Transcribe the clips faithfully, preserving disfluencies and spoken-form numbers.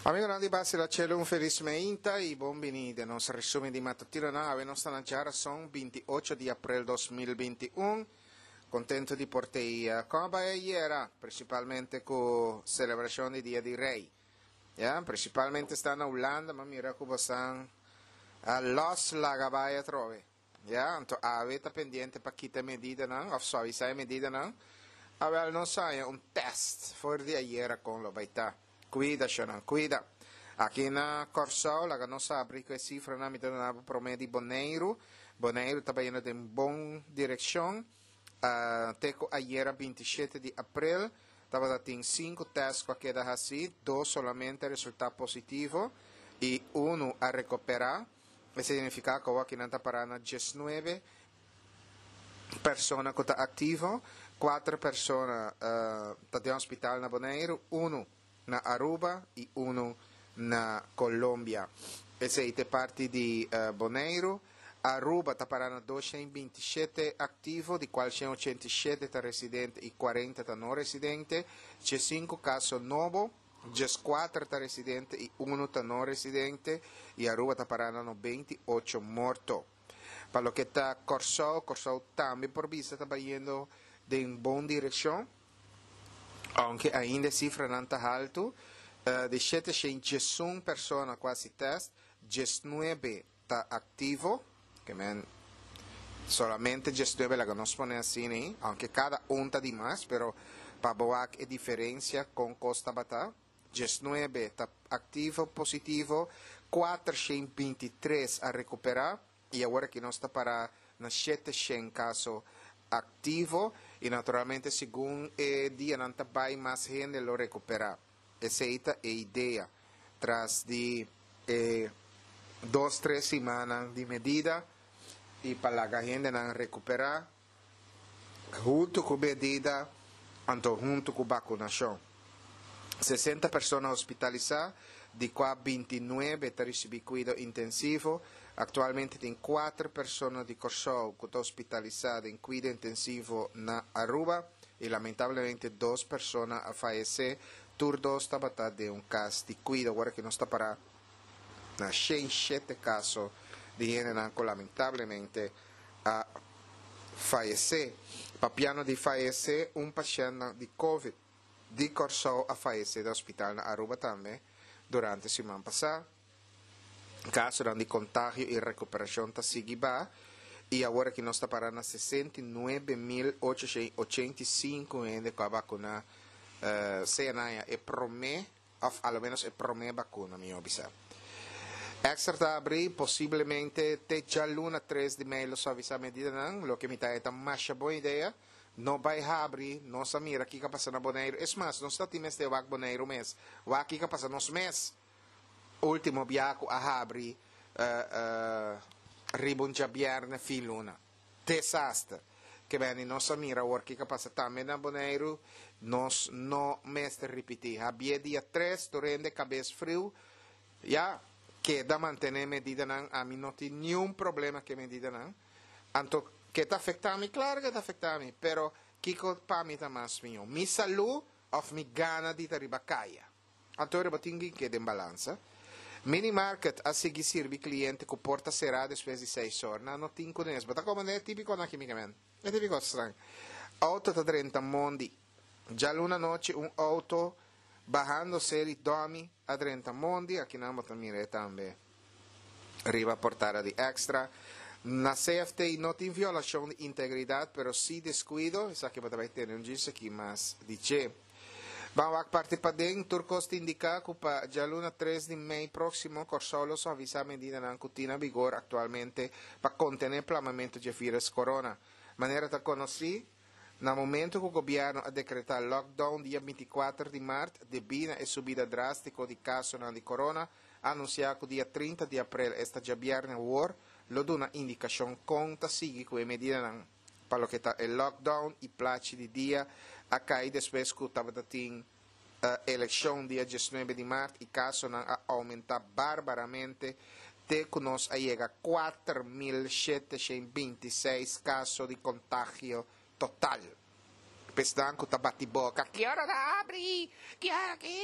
Amigonan di Basila Chelo, un felis meinta i bon bini den nos resumen di matutinonan. Awe nos ta na djarason binti ocho di aprel dos mil binti un. Contento di por tei con a bai ayera, principalmente cu celebracion di Dia di Rey. Ya, principalmente sta na Hulanda, ma mira cu bosan a los laga bai atrobe. Ya, anto awe ta pendiente pa kita e medidanan of suavisa e medidanan. Awel nos haña un test for di ayera con lo bai ta. Cuida, shonan, cuida. Aki na Kòrsou laga nos sabri ku e sifranan mi ta duna bo promé di Boneiru. Boneiru ta bayendo den bon direkshon. Te ku ayera binti shete di aprel tabata tin sinku tèst ku a keda hasí, dos solamente a resultá positivo i unu a rekuperá. Esei signifiká ku awor kinan ta pará na diesnuebe persona ku ta aktivo, kuater persona ta den hospital na Boneiru, unu na Aruba i unu na Colombia. Esei ta e parti di Boneiru. Aruba ta pará na doshen binti shete aktivo, di kual shen ochenta i shete ta residente i kuarenta ta no residente. Diesinku kaso nobo, dieskuater ta residente i unu ta no residente i Aruba ta pará na nobenta i ocho morto. Pa loke ta Kòrsou, Kòrsou tambe por bisa ta bayendo den bon direkshon, ounke ainda e sifranan ta haltu. Di shete shen diesun persona ku hasi tèst, diesnuebe ta aktivo, ke men solamente diesnuebe laga nos pone asina ei, ounke kada un ta di mas, pero pa bo wak e diferensia kon kos tabata, diesnuebe ta aktivo positivo, kuater shen binti tres a rekuperá i awor aki nos ta para na shete shen kaso aktivo i naturalmente segun e dianan ta bai mas hende lo rekuperá. Esei ta e idea tras di e dos tres simannan di medida i pa laga hendenan rekuperá huntu ku medida anto huntu ku bakunashon. Sesenta persona hospitalisá, di kua binti nuebe ta risibí kuido intensivo. Aktualmente tin kuater persona di Kòrsou ku ta hospitalisá den kuido intensivo na Aruba i lamentablemente dos persona a fayesé. Tur dos tabata den un kas di kuido. Awor aki nos ta pará na shen shete kaso di hendenan ku lamentablemente a fayesé. Papiando di fayesé, un pashèntnan di covid di Kòrsou a fayesé den hospital na Aruba tambe durante siman pasá. Kasonan di kontagio i rekuperashon ta sigui ba i awor aki nos ta pará na sesenta i nuebe mil ocho shen ochenta i sinku hende ku a bakuná sea nan ya e promé òf a lo ménos e promé bakuna mihó bisa. Extra ta abrí posiblemente te djaluna tres di mei lo suavisá medidanan, loke mi ta e ta masha bon idea. No bai habri, nos a mira kiko a pasa na Boneiru. Es mas, nos ta tin mester wak Boneiru mes, wak kiko a pasa nos mes. Ultimo bia ku a habri riba un djabièrnè fin luna. Desaster. Ke beni nos a mira awor kiko a pasa tambe na Boneiru, nos no mester ripití. Habié dia tres, tur hende kabes friu, ya, keda mantené medidanan, ami no tin niun problema ku e medidanan. Anto, ke ta afektá mi? Klaro ke ta afektá mi, pero kiko pa mi ta mas mihó? Mi salú òf mi gana di ta riba kaya? Anto riba tin ki keda den balansa. Minimarket a sigui sirbi kliente ku porta será despues di seis or. Nan no tin kunes. Bo ta komprendé e típikonan aki, Mikamen? E típiko stran. Outo ta drenta mondi. Djaluna anochi un outo bahando seri Domi a drenta mondi. Akinan bo ta mira e tambe riba portada di Extra. Na C F T no tin violashon di integridat, pero sí deskuido. Esaki bo ta bai tende un djis aki mas di dje. Ban wak parti paden, tur kos ta indiká ku pa djaluna tres di mei próksimo Kòrsou lo suavisá medidanan ku tin na vigor aktualmente pa kontené plamamentu dje vírus korona. Manera ta konosí, na momentu ku gobièrnu a dekretá lockdown dia binti kuater di mart debí na e subida drástiko di kasonan di korona, a anunsiá ku dia trinta di aprel, esta djabièrnè awor, lo duna indikashon kon ta sigui ku e medidanan. Pa loke ta e lockdown i plachi di dia a kai despues ku tabata tin elekshon dia diesnuebe di mart i kasonan a oumentá barbaramente te ku nos a yega kuater mil shete shen binti seis kaso di kontagio total. Pesnan ku ta bati boka, Ki ora ta habri? Ki ora ki?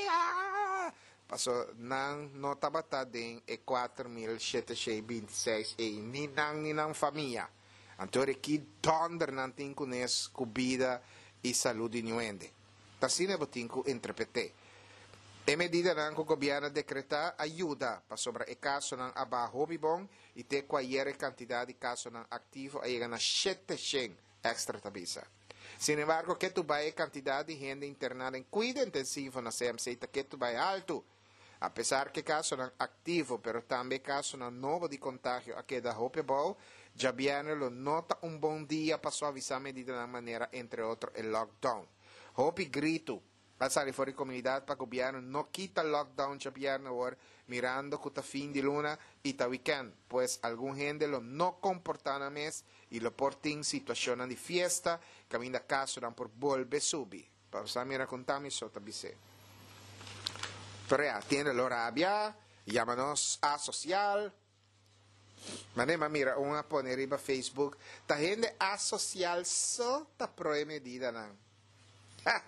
Paso nan no tabata den e kuater mil shete shei binti seis ei, ni nan ni nan famia. Anto ora ki dònder nan tin kunes ku bida i salú di niun hende. Ta asina bo tin ku interpret'é. E medidanan ku gobièrnu a dekretá a yuda, pasobra e kasonan a baha hopi bon i te ku ayer e kantidat di kasonan aktivo a yega na shete shen, Extra ta bisa. Sinembargo, ketu bai e kantidat di hende interná den kuido intensivo na C M C ta ketu bai haltu. Apesar ku e kasonan aktivo, pero tambe e kasonan nobo di kontagio a keda hopi abou, djabièrnè lo no ta un bon dia pa suavisá medidanan manera entre otro e lockdown. Hopi gritu a sali for di komunidat pa gobièrnu no kita lockdown djabièrnè awor mirando ku ta fin di luna i ta wikènt, pues algun hende lo no komportá nan mes i lo por tin situashonnan di fiesta kaminda kasonan por bolbe subi. Pa sa mira kon ta mi so ta bis'é. Pero ya, tiende lo rabia, yama nos asosial. Mane m'a mira un a pone riba Facebook, ta hende asosial so ta pro e medidanan. Ha!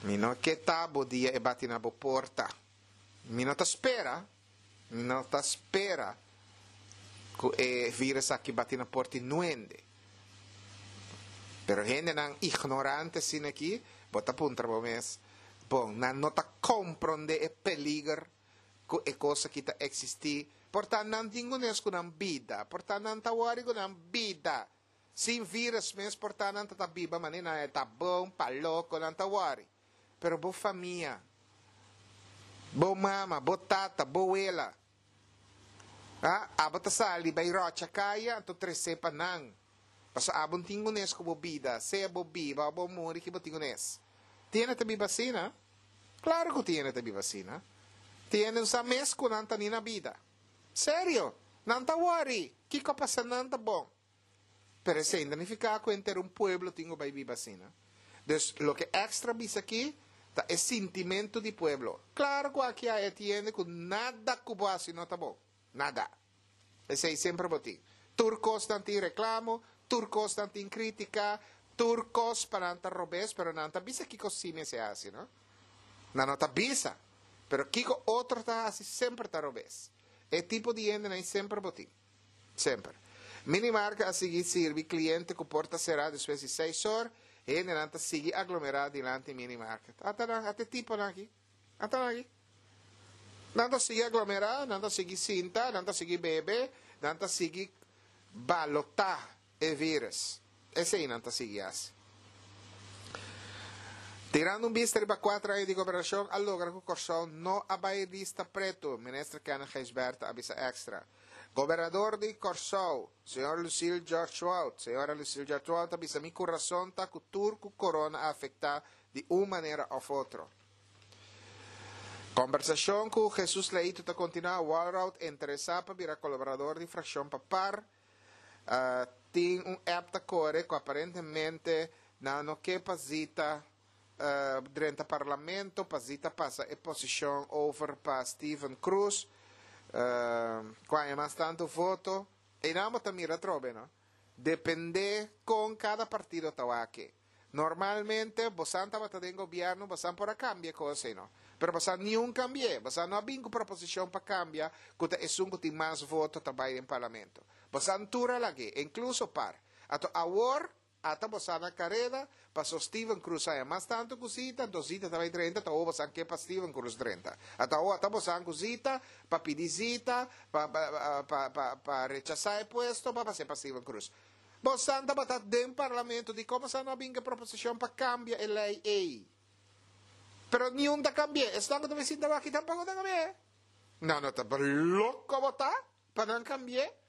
Mi no ke ta bo dia e bati na bo porta. Mi no ta spera, mi no ta spera ku e virus aki bati na porta di nuende. Pero hendenan ignorante asina aki, bo ta puntra bo mes, bon, nan no ta komprondé e peliger ku e kos aki ta eksistí? Por ta nan tin kunes ku nan bida, por ta nan ta wòri ku nan bida. Sin virus mes por ta nan ta ta biba manera nan e ta bon, pa loko nan ta wòri. Pero bo famia, bo mama, bo tata, bo wela, a, abo ta sali bai ròcha kaya anto tresé pa nan. Pasobra abo no tin kunes ku bo bida, sea bo biba o bo muri ki bo tin kunes. Tiene ta biba asina? Klaro ku tiene ta biba asina. Tiene un sa mes ku nan ta ni na bida. Serio, nan ta wòri, kiko a pasa nan ta bon. Pero esei no ta nifiká ku henter un pueblo tin ku bai biba asina. Dus loke Extra bisa aki ta e sintimentu di pueblo. Klaro ku aki a e tiende ku nada ku bo hasi no ta bon. Nada. Esei semper bo tin. Tur kos nan tin reklamo, tur kos nan tin krítika, tur kos pa nan ta robes, pero nan ta bisa kiko sí mester hasi, no? Nan no ta bisa. Pero kiko otro ta hasi semper ta robes. E tipo di hendenan ei semper bo tin. Semper. Minimarket a sigui sirbi kliente ku porta será despues di seis or, hendenan ta sigui aglomerá dilanti minimarket. Ata nan, ata e tiponan aki. Ata nan aki. Nan ta sigui aglomerá, nan ta sigui sinta, nan ta sigui bebe, nan ta sigui balotá e vírus. Esei nan ta sigui hasi. Tirando un bista riba kuater aña di gobernashon a logra ku Kòrsou no a bai lista pretu, Minister Kenneth Gijsbertha a bisa Extra. Gobernador di Kòrsou, señor Lucille George-Wout, señora Lucille George-Wout a bisa mi kurason ta ku tur ku korona a afektá di un manera òf otro. Kombersashon ku Jesus Leito ta kontinuá, Walroud interesá pa bira kolaborador di frakshon pa par. Tin un app ta kore ku aparentemente nan no ke pa Zita drenta parlamento, pa Zita pasa e posishon over pa Steven Cruz, ku haña mas tantu voto. Einan bo ta mira atrobe, no? Depende kon kada partido ta wak. Normalmente bosan tabata den gobierno bosan por a cambia e cos ei no. Pero bosan niun cambi'e. Bosan no a bin cu proposicion pa cambia cu ta esun cu tin mas voto ta bay den parlamento. Bosan tur a lag'e, incluso par. Ato awor ata bosan na careda paso Steven Cruz haya mas tanto cu Zita, anto Zita ta bay drenta, ata awor bosan ke pa Steven Cruz drenta. Ata awor ata bosan cu Zita pa pidi Zita pa pa pa pa rechasa e puesto pa pase pa Steven Cruz. Bosan tabata den parlamento, dikon bosan no a bin ku e proposishon pa kambia e lei ei? Pero niun ta kambi'é. Esnan ku ta bin sinta wak tampoko ta kambi'é. Nan no ta loko bo ta pa nan kambi'é?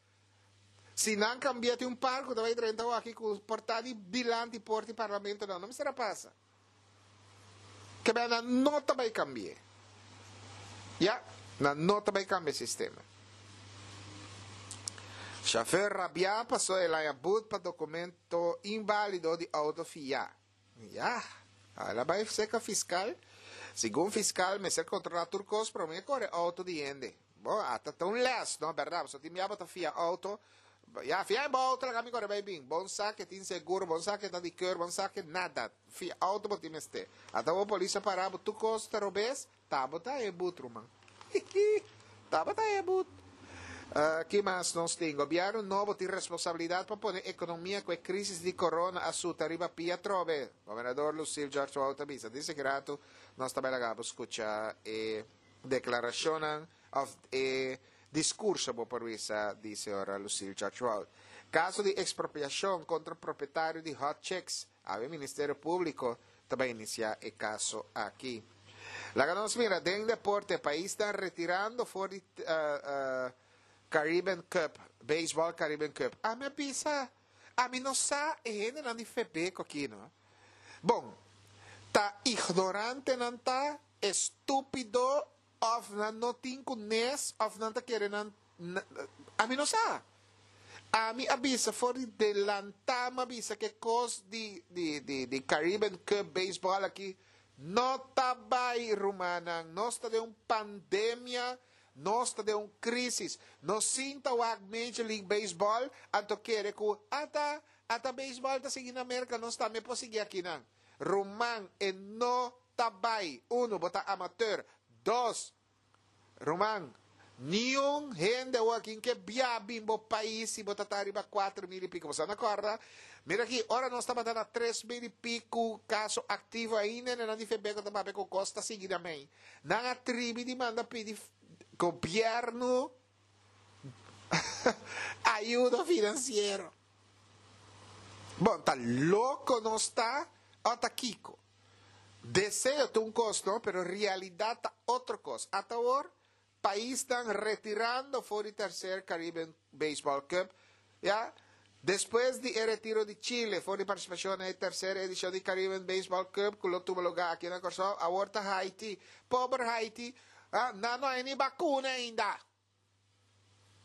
Si nan kambi'é tin un par ku ta bai drenta wak ku por ta di dilanti porta di parlamento nan no mester a pasa. Kebé nan no ta bai kambi'é. Ya, nan no ta bai kambia e sistema. Shofèr rabiá pasó el haña but pa dokumento inválido di outo fiá. Ya, el a bai seka fiskal. Segun fiskal mester kontrolá tur kos promé kore outo di hende. Bo, ata ta un lès, no? Bèrdat, pasobra tin bia bo ta fia outo. Ya, fia e bo outo laga mi kore bai bin. Bon sa ke tin seguro, bon sa ke ta di keur, bon sa ke nada. Fia outo bo tin mester. Ata bo polis a para bo tur kos ta robes, Tabata e but, ruman. Tabata e but. Uh, ki mas nos tin? Gobièrnu nobo tin responsabilidat pa pone ekonomia ku e krísis di corona a suta riba pia atrobe. Gobernador Lucille George Wout a bisa. Dice grato nos tambe laga skucha e deklarashon òf e diskurso bo por bisa di señora Lucille George Wout. Kaso di ekspropiashon kontra propietario di Hot Chicks. E Ministerio Públiko tambe a inisiá e kaso aki. Laga nos mira, den deporte, pais ta retirando for di uh, uh, Caribbean Cup, Baseball Caribbean Cup. Ami a bisa, ami no sa, e hendenan di FEBEKO aki, no? Bon, ta ignorante nan ta, estúpido, òf nan no tin kunes, òf nan ta kere nan, ami no sa. Ami a bisa for di delantá, m'a bisa ku kos di, di, di, di Caribbean Cup Baseball aki, no ta bai, rumannan, nos ta den un pandemia, nos ta den un krísis. No sinta wak Major League Baseball, anto kere ku ata ata baseball ta sigui na Amérika, nos tambe por sigui akinan. Ruman, e no ta bai. Uno, bo ta amateur. Dos, ruman, niun hende aki ke biaha bin bo pais si bo ta riba kuater mil i piku. Bo no kòrda? Mira aki, ora nos tabata na tres mil i piku kaso aktivo ainda, nan di FEBEKO tambe ku kos ta sigui tambe. Nan a tribi di manda pidi gobièrnu ayuda finansiero. Bon, ta loko nos ta, òf ta kiko. Deseo ta un kos, no? Pero realidat ta otro kos. Hasta awor, pais ta retirando for di terser Caribbean Baseball Cup, ya? Despues di retiro di Chile for di partisipashon den terser edishon di Caribbean Baseball Cup, ku lo tuma lugá aki na Kòrsou, awor ta Haiti. Pober Haiti, ah, no, no tin vakuna ainda.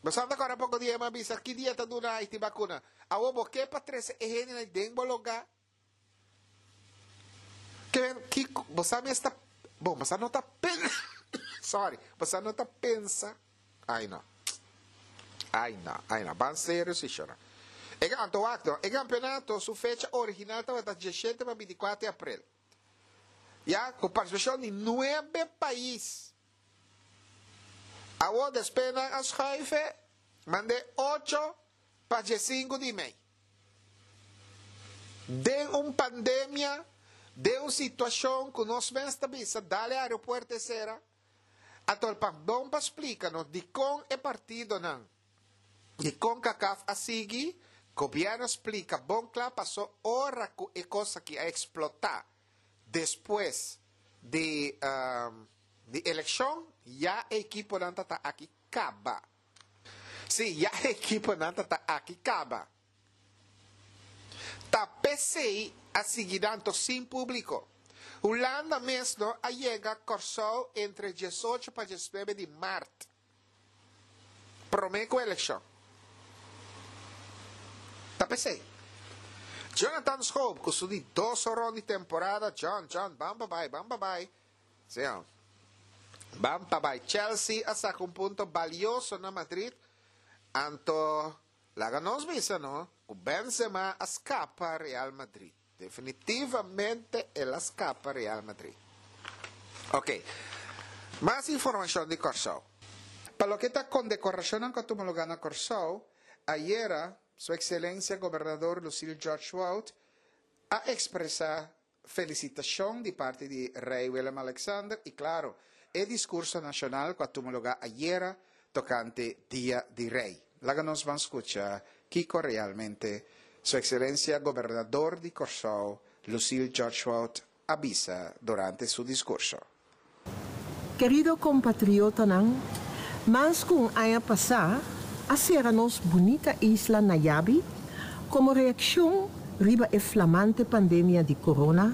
Bo sa awor poko dia m'a bisa ki dia ta duna Haiti vakuna. Awor bo ke pa trese hende den bo lugá. Ke ki bo esta, bon, bo no ta pensa, sorry, bo no ta pensa. Ai no. Ai no, ai no, ban serio si chora. E anto akto, e kampeonato, su fecha original tabata diesshete pa bintikuater di aprel. Ya, ku partisipashon di nuebe pais. Awor despues a skùif, mand'é ocho pa sinku di mei. Den un pandemia, den un situashon ku nos mes ta bisa, dal aeropuerto sera. Anto pardon pa splika, no, di kon e partidonan, di CONCACAF a sigui, gobièrnu a splika, bon kla, pasó ora ku e kos aki a eksplotá despues di, um, di elekshon, ya e ekiponan ta aki kaba. Si, ya e ekiponan ta aki kaba. Ta p'esei a sigui tantu sin públiko. Hulanda mes a yega Kòrsou entre diesocho pa diesnuebe di mart. Promé ku elekshon. Ta p'esei. Jonathan Schoop, ku su di dos rònt di temporada, John, John, bam bai, bam bai. Si, bam bai. Chelsea a saka un punto balioso na Madrid. Anto, laga nos bisa, no? Ku Benzema a skapa Real Madrid. Definitivamente el a skapa Real Madrid. Ok. Mas informashon di Kòrsou. Pa loke ta kondekorashon ku a tuma lugá na Kòrsou, ayera, Su Ekselensia Gobernador Lucille George Wout a ekspresá felisitashon di parti di Rei Willem Alexander i klaro, e diskurso nashonal ku a tuma lugá ayera tokante Dia di Rei. Laga nos ban skucha kiko realmente Su Ekselensia Gobernador di Kòrsou, Lucille George Wout, a bisa durante su diskurso. Kerido kompatriotanan, mas ku un aña pasá, a sera nos bunita isla na yabi komo reakshon riba e flamante pandemia di corona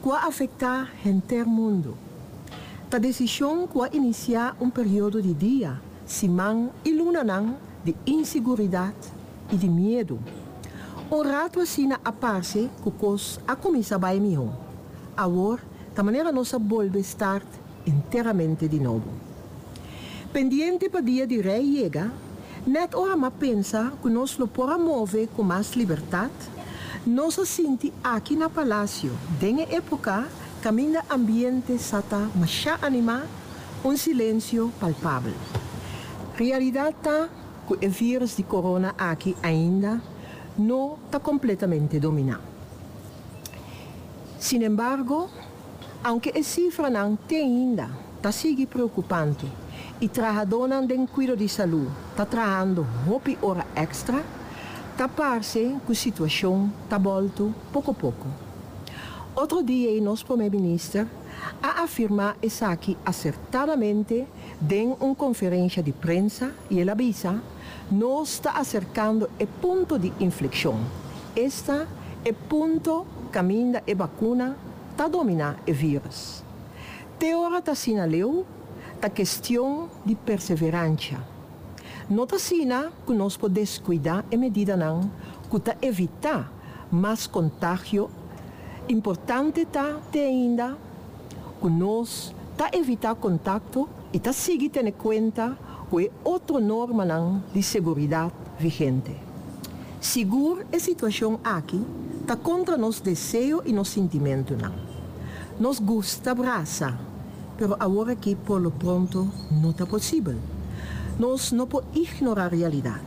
ku a afektá henter mundu. E desishon ku a inisiá un periodo di dia, siman i lunanan di inseguridat i di miedu. Un ratu asina a parse ku kos a kuminsá bai mihó. Awor, di manera nos a bolbe start enteramente di nobo. Pendiente pa Dia di Rei yega, net ora m'a pensa ku nos lo por a move ku mas libertat, nos a sinti aki na Palasio, den époka Kaminda ambiente sa ta masha animá, un silensio palpabel. Realidat ta ku e vírùs di corona aki ainda no ta kompletamente dominá. Sin embargo, aunke e sifranan te ainda ta sigui preokupante i trahadónan den kuido di salú ta trahando hopi ora èkstra, ta parse ku e situashon ta bòltu poko poko. Otro dia, nos promé minister a afirmá esaki asertadamente den un konferensia di prensa i el a bisa: "Nos ta aserkando e punto di inflekshon. Esta e punto kaminda e vakuna ta dominá e vírùs." Te ora ta asina leu, ta kuestion di perseveransia. No ta asina ku nos por deskuidá e medidanan ku ta evitá mas kontagio. Importante ta te ainda ku nos ta evitá kontakto i ta sigui tene kuenta ku e otro normanan di seguridat vigente. Sigur e situashon aki ta kontra nos deseo i nos sentimentonan. Nos gusta brasa, pero awor aki por lo pronto no ta posibel. Nos no por ignorá realidat.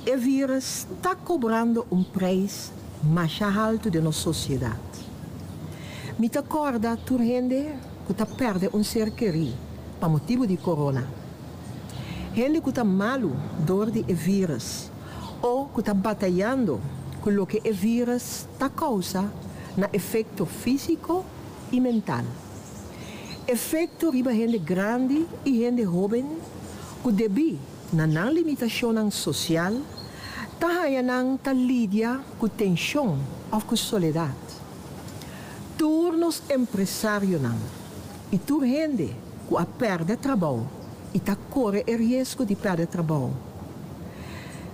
E vírùs ta kobrando un preis mas haltu den nos sosiedat. Mi ta kòrda tur hende ku ta pèrdè un ser kerí pa motibu di corona. Hende ku ta malu dor di e vírùs òf ku ta batayando ku loke e vírùs ta kousa na efekto físiko i mental. Efekto riba hende grandi i hende hóben ku debí na nan limitashon sosial ta haña nan ta lidia ku tenshon òf ku soledat. Tur nos empresarionan i tur hende ku a pèrdè trabou i ta kore e riesgo di pèrdè trabou.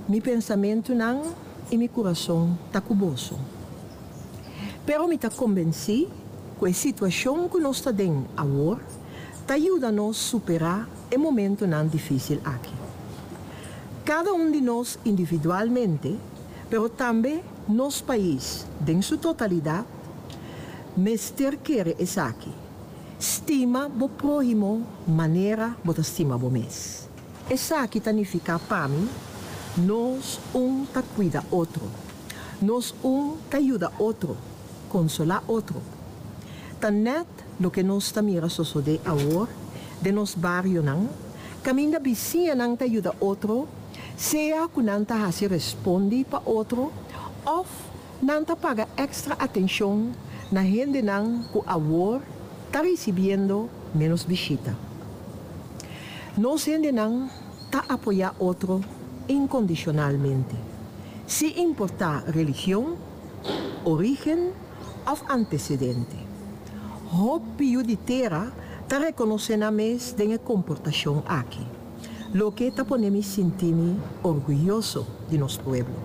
Mi pensamentonan i mi kurason ta ku boso. Pero mi ta konvensí ku e situashon ku nos ta aden awor ta yuda nos superá e momentonan difísil aki. Kada un di nos individualmente, pero tambe nos pais, den su totalidat, mester kere esaki: Stima bo próhimo manera bo ta stima bo mes. Esaki ta nifiká pa mi, nos un ta kuida otro. Nos un ta yuda otro, konsolá otro. Ta nèt loke nos ta mira sosodé awor, den nos barionan, kaminda bisiñanan ta yuda otro, sea ku nan ta hasi respondi pa otro, òf nan ta paga èkstra atenshon na hendenan ku awor ta risibiendo ménos bishita. Nos hendenan ta apoyá otro inkondishonalmente, sin importá religion, orígen òf antesedente. Hopi di tera ta rekonosé nan mes den e komportashon aki, loke ta pone mi sinti mi orguyoso di nos pueblo.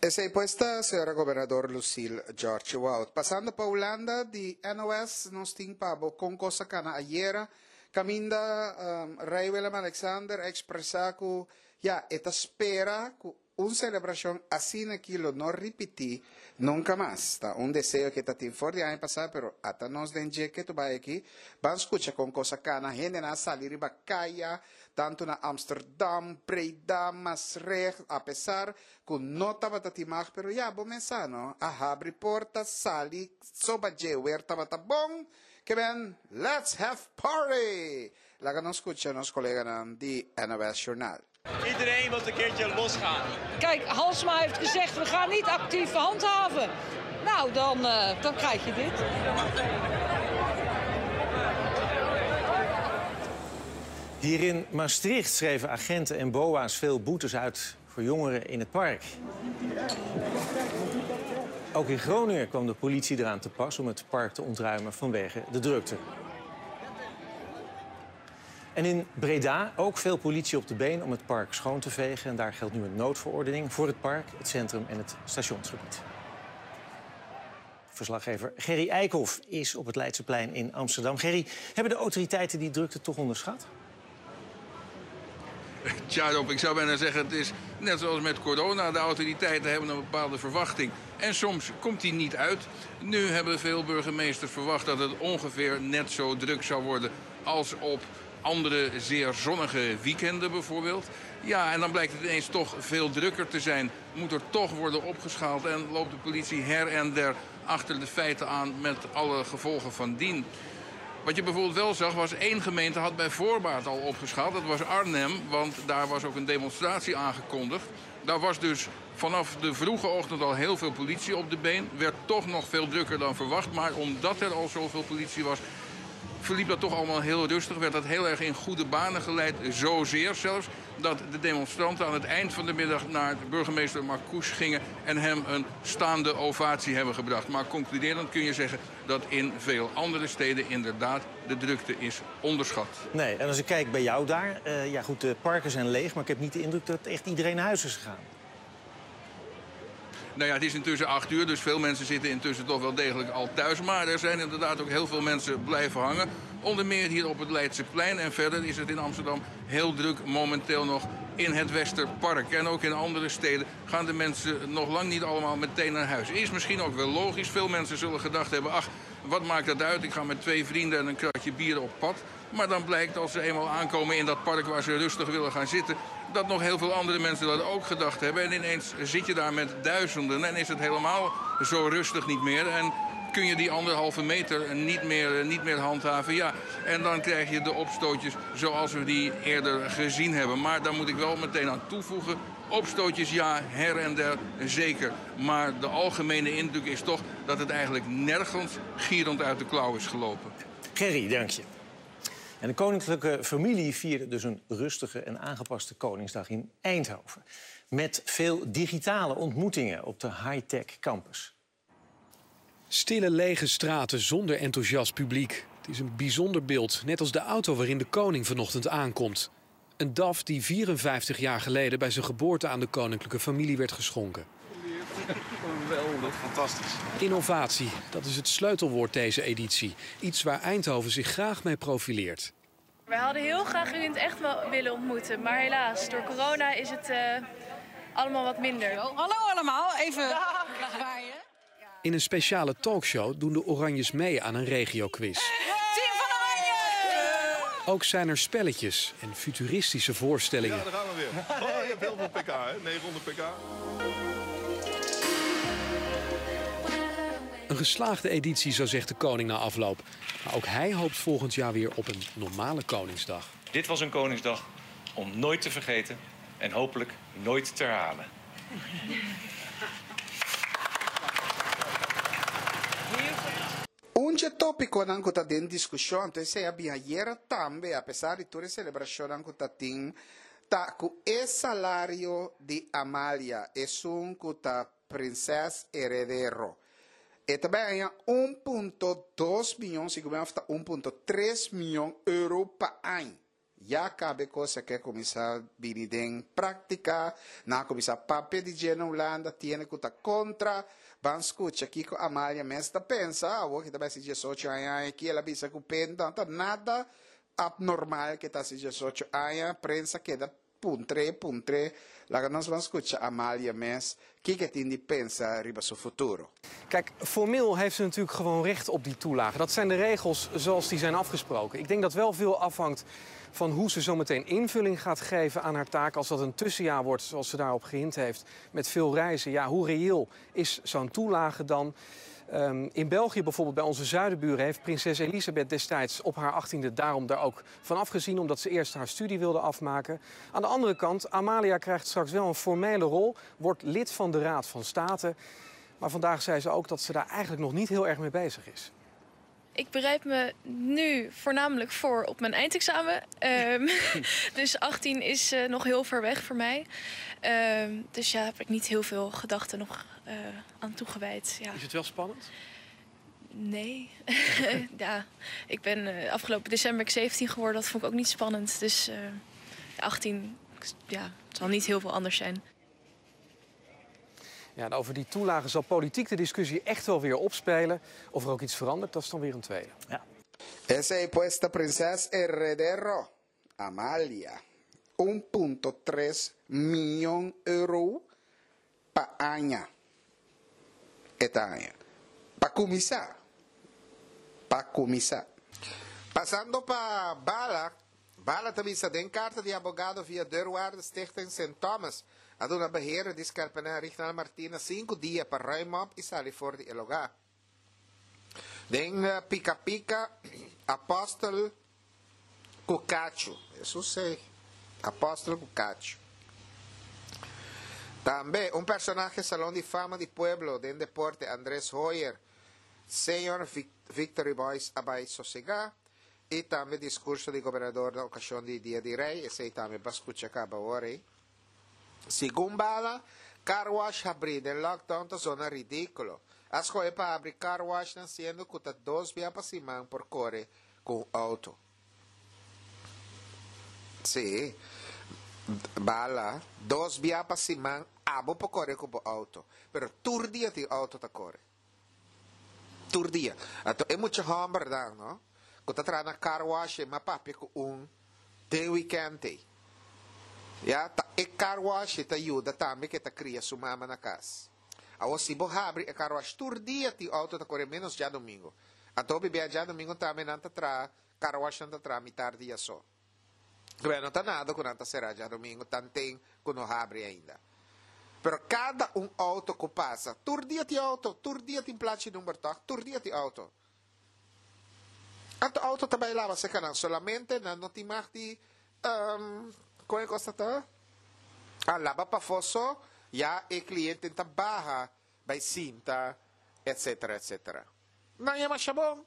Esei pues ta señora gobernador Lucille George Wout. Pasando pa Hulanda di N O S, nos tin pa bo kon kos a kana ayera. Kaminda um, Rei Willem Alexander a ekspresá ku ya, e ta spera ku un selebrashon asina aki lo no ripití nunka mas. Ta un deseo ku e tabatin for di aña pasá, pero ata nos den ku ta bai aki, ban skucha kon kos a kana, hendenan a sali riba kaya, tantu na Amsterdam, Breda, Maastricht, apesar ku no tabatin mag, pero ya, bo mes sa, no? A habri porta, sali, soba dje, weer tabata bon, ke men, let's have party! Laga nos skucha nos koleganan di N O S Journaal. Iedereen wil een keertje losgaan. Kijk, Halsema heeft gezegd: we gaan niet actief handhaven. Nou, dan, uh, dan krijg je dit. Hier in Maastricht schreven agenten en boa's veel boetes uit voor jongeren in het park. Ook in Groningen kwam de politie eraan te pas om het park te ontruimen vanwege de drukte. En in Breda ook veel politie op de been om het park schoon te vegen. En daar geldt nu een noodverordening voor het park, het centrum en het stationsgebied. Verslaggever Gerry Eikhoff is op het Leidseplein in Amsterdam. Gerry, hebben de autoriteiten die drukte toch onderschat? Tja, Rob, ik zou bijna zeggen, het is net zoals met corona. De autoriteiten hebben een bepaalde verwachting. En soms komt die niet uit. Nu hebben veel burgemeesters verwacht dat het ongeveer net zo druk zou worden als op andere zeer zonnige weekenden bijvoorbeeld. Ja, en dan blijkt het ineens toch veel drukker te zijn. Moet er toch worden opgeschaald en loopt de politie her en der achter de feiten aan met alle gevolgen van dien. Wat je bijvoorbeeld wel zag, was één gemeente had bij voorbaat al opgeschaald. Dat was Arnhem, want daar was ook een demonstratie aangekondigd. Daar was dus vanaf de vroege ochtend al heel veel politie op de been. Werd toch nog veel drukker dan verwacht. Maar omdat er al zoveel politie was, verliep dat toch allemaal heel rustig. Werd dat heel erg in goede banen geleid. Zozeer zelfs dat de demonstranten aan het eind van de middag naar burgemeester Marcouch gingen en hem een staande ovatie hebben gebracht. Maar concluderend kun je zeggen dat in veel andere steden inderdaad de drukte is onderschat. Nee, en als ik kijk bij jou daar, uh, ja goed, de parken zijn leeg, maar ik heb niet de indruk dat echt iedereen naar huis is gegaan. Nou ja, het is intussen acht uur, dus veel mensen zitten intussen toch wel degelijk al thuis. Maar er zijn inderdaad ook heel veel mensen blijven hangen. Onder meer hier op het Leidseplein. En verder is het in Amsterdam heel druk momenteel nog in het Westerpark. En ook in andere steden gaan de mensen nog lang niet allemaal meteen naar huis. Is misschien ook wel logisch. Veel mensen zullen gedacht hebben, ach, wat maakt dat uit? Ik ga met twee vrienden en een kratje bier op pad. Maar dan blijkt als ze eenmaal aankomen in dat park waar ze rustig willen gaan zitten, dat nog heel veel andere mensen dat ook gedacht hebben. En ineens zit je daar met duizenden en is het helemaal zo rustig niet meer. En kun je die anderhalve meter niet meer, niet meer handhaven. Ja, en dan krijg je de opstootjes zoals we die eerder gezien hebben. Maar daar moet ik wel meteen aan toevoegen. Opstootjes, ja, her en der, zeker. Maar de algemene indruk is toch dat het eigenlijk nergens gierend uit de klauw is gelopen. Gerry, dank je. En de koninklijke familie vierde dus een rustige en aangepaste Koningsdag in Eindhoven. Met veel digitale ontmoetingen op de high-tech campus. Stille lege straten zonder enthousiast publiek. Het is een bijzonder beeld, net als de auto waarin de koning vanochtend aankomt. Een D A F die vierenvijftig jaar geleden bij zijn geboorte aan de koninklijke familie werd geschonken. Geweldig, fantastisch. Innovatie, dat is het sleutelwoord deze editie. Iets waar Eindhoven zich graag mee profileert. Wij hadden heel graag u in het echt willen ontmoeten, maar helaas, door corona is het uh, allemaal wat minder. Hallo allemaal, even zwaaien. In een speciale talkshow doen de Oranjes mee aan een regioquiz. Team van Oranje! Ook zijn er spelletjes en futuristische voorstellingen. Ja, daar gaan we weer. Oh, je hebt heel veel P K, hè? negenhonderd P K. Een geslaagde editie, zo zegt de koning na afloop. Maar ook hij hoopt volgend jaar weer op een normale Koningsdag. Dit was een Koningsdag om nooit te vergeten en hopelijk nooit te herhalen. Un tópico nan ku ta den diskushon, entonses a bin ayera tambe, apesar di tur e selebrashonnan ku tatin, ta ku e salario di Amalia, esun ku ta prinses heredero. E tambe haña un punto dos mion, si ta un punto tres mion euro pa aña. Ya kaba kos a kuminsá bini den práktika, nan a kuminsá papia di dje na Hulanda, tin hende ku ta kontra, ban skucha kiko Amalia mes ta pensa, awor ku ta bai hasi diesocho aña aki, el a bisa ku p'e no ta nada abnormal ku ta hasi diesocho aña, prensa keda puntr'é, puntr'é, laga nos ban skucha Amalia mes, kiko e tin di pensa riba su futuro. Kijk, formeel heeft ze natuurlijk gewoon recht op die toelage. Dat zijn de regels zoals die zijn afgesproken. Ik denk dat wel veel afhangt van hoe ze zometeen invulling gaat geven aan haar taak. Als dat een tussenjaar wordt, zoals ze daarop gehint heeft, met veel reizen. Ja, hoe reëel is zo'n toelage dan? Um, in België bijvoorbeeld, bij onze zuidenburen, heeft prinses Elisabeth destijds op haar achttiende daarom daar ook van afgezien, omdat ze eerst haar studie wilde afmaken. Aan de andere kant, Amalia krijgt straks wel een formele rol, wordt lid van de Raad van State. Maar vandaag zei ze ook dat ze daar eigenlijk nog niet heel erg mee bezig is. Ik bereid me nu voornamelijk voor op mijn eindexamen. Um, dus achttien is uh, nog heel ver weg voor mij. Um, dus ja, heb ik niet heel veel gedachten nog uh, aan toegewijd. Ja. Is het wel spannend? Nee. Ja, ik ben uh, afgelopen december zeventien geworden. Dat vond ik ook niet spannend. Dus uh, achttien, ja, het zal niet heel veel anders zijn. Ja, en over die toelagen zal politiek de discussie echt wel weer opspelen. Of er ook iets verandert, dat is dan weer een tweede. Ja. Esei pues ta prinses heredero, Amalia. un punto tres mion euro pa aña. E ta aña. Pa kuminsá. Pa kuminsá. Pasando pa Bala, Bala ta bisa den karta di abogado via deurwaarder Stichting Sint Thomas a duna beheerder di skerpernij Rignald Martina sinku dia pa ruim op i sali for di e lugá. Den Pika Pika, Apostel ku kachu. Hesus sei. Apostel ku kachu. Tambe un personahe Salon di Fama di Pueblo den deporte Andres Hoyer, Senior Victory Boys a bai sosegá i tambe diskurso di gobernador na okashon di Dia di Rei, esei tambe bo a skucha kaba ora ei. Segun Bala, car wash habrí den lockdown ta zona ridíkulo. A skohe pa habri car washnan siendo ku ta dos bia pa siman por kore ku un outo. Sí, Bala, dos bia pa siman abo por kore ku bo outo, pero tur dia tin outo ta kore. Tur dia. Anto e mucha hòmbernan, no, ku ta traha na car wash e mas papia ku un den weekend ei. Ya, ta e car wash ei ta yuda tambe ku e ta kria su mama na kas. Awor si bo habri e car wash tur dia tin outo ta kore menos djadomingo. Anto hopi bia djadomingo tambe nan ta traha, car washnan ta traha mitar dia so. Bueno, no ta nada ku nan ta será djadomingo tanten ku no habri ainda. Pero kada un outo ku pasa, tur dia tin outo, tur dia tin plachi number tòg, tur dia tin outo. Anto outo ta bai laba serka nan, solamente nan no tin mag di, kon e kos ta ta? Ah, laba pafó so, ya e klienten ta baha bai sinta, etcetera, etcetera. Nan yama shabon.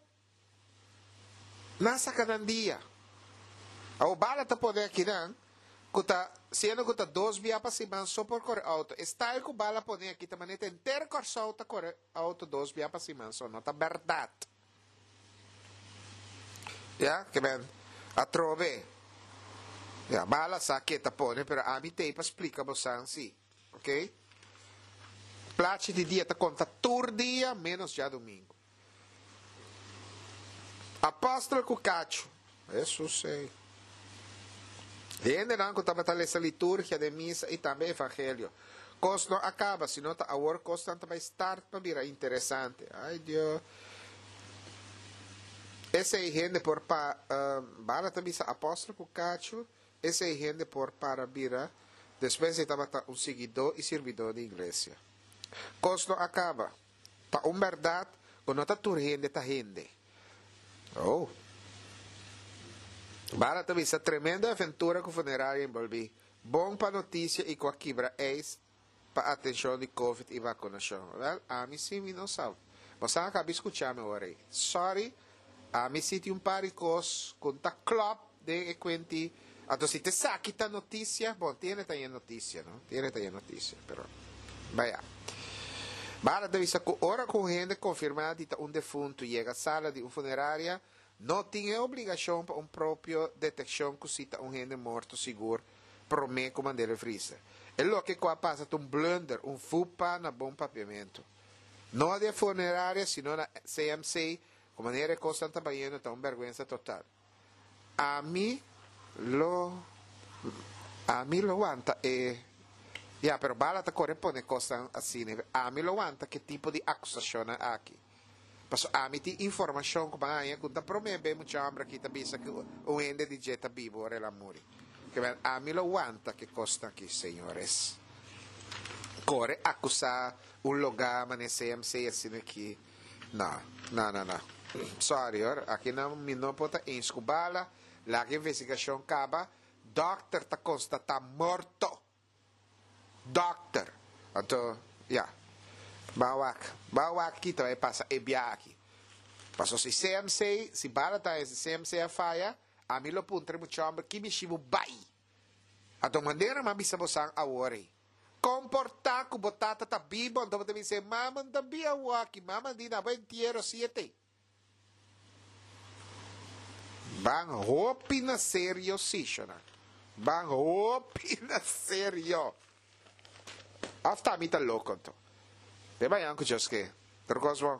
Nan saka nan dia. Awor bala ta pone akinan ku ta siendo ku ta dos bia pa siman so por kore outo. E style ku bala pone aki ta manera henter Kòrsou ta kore outo dos bia pa siman so. No ta bèrdat. Ya, ke men atrobe. Ya, bala sa ke ta pone pero ami t'ei pa splika bosan si. Ok. Plachi di dia ta konta tur dia menos djadumingu. Apòstel ku kachu. Hesus ei. Hendenan ku tabata lesa liturgia den misa i tambe evangelio. Kos no a kaba, sino ta awor kosnan ta bai start pa bira interesante. Ai Dios. Esei hende por pa, Bala ta bisa apòstel ku kachu, esei hende por para bira, despues ei tabata un siguidó i sirbidó di iglesia. Kos no a kaba. Ta un bèrdat ku no ta tur hende ta hende. Oh. Bala ta bisa tremendo aventura ku funeraria enbolbí. Bon pa notisia i ku a kibra ijs pa atenshon di covid i vakunashon. Wèl, ami si mi no sa. Bo sa a kabi skucha mi ora ei. Sorry, ami si tin un par di kos ku n'ta klòp den e kuenti. Anto si t'esaki ta notisia, bon, tiene ta e notisia, no? Tiene ta e notisia, pero baya. Bala ta bisa ku ora ku un hende konfirmá di ta un defuntu yega sala di un funeraria, no tin e obligashon pa un propio detekshon ku si ta un hende morto sigur promé ku mand'é e freezer. E loke ku a pasa ta un blunder, un fupa na bon papiamentu. No di e funeraria sino na C M C ku manera e kosnan ta bayendo ta un bèrgwensa total. Ami lo ami lo wanta e ya pero bala ta kore pone kosnan asina ami lo wanta ke tipo di akusashonnan aki paso ami tin informashon ku ban haña ku ta prome be mucha homber aki ta bisa ku un hende di dje ta bibo ora el a muri ke men ami lo wanta ke kosnan aki señores kore akusa un loga mane C M C asina aki no no no no sorry hoor aki nan mi no por ta eens ku bala. Laga investigashon kaba, dòkter ta konstatá morto. Dòkter. Anto, ya. Ban wak. Ban wak ki ta bai pasa e bia aki. Paso si C M C, si bala ta si C M C a faya, ami lo puntra e mucha hòmber ki mishi bo bai. Anto manera mi a bisa bosan awor ei. Komportá ku bo tata ta bibo, anto bo ta bisa e mama no ta bia awor aki, mama di na bo entiero siete. Ban hopi na serio si, shona. Ban hopi na serio. Of ta mi ta loko anto. Te bayan ku Joske. Tur kos bon.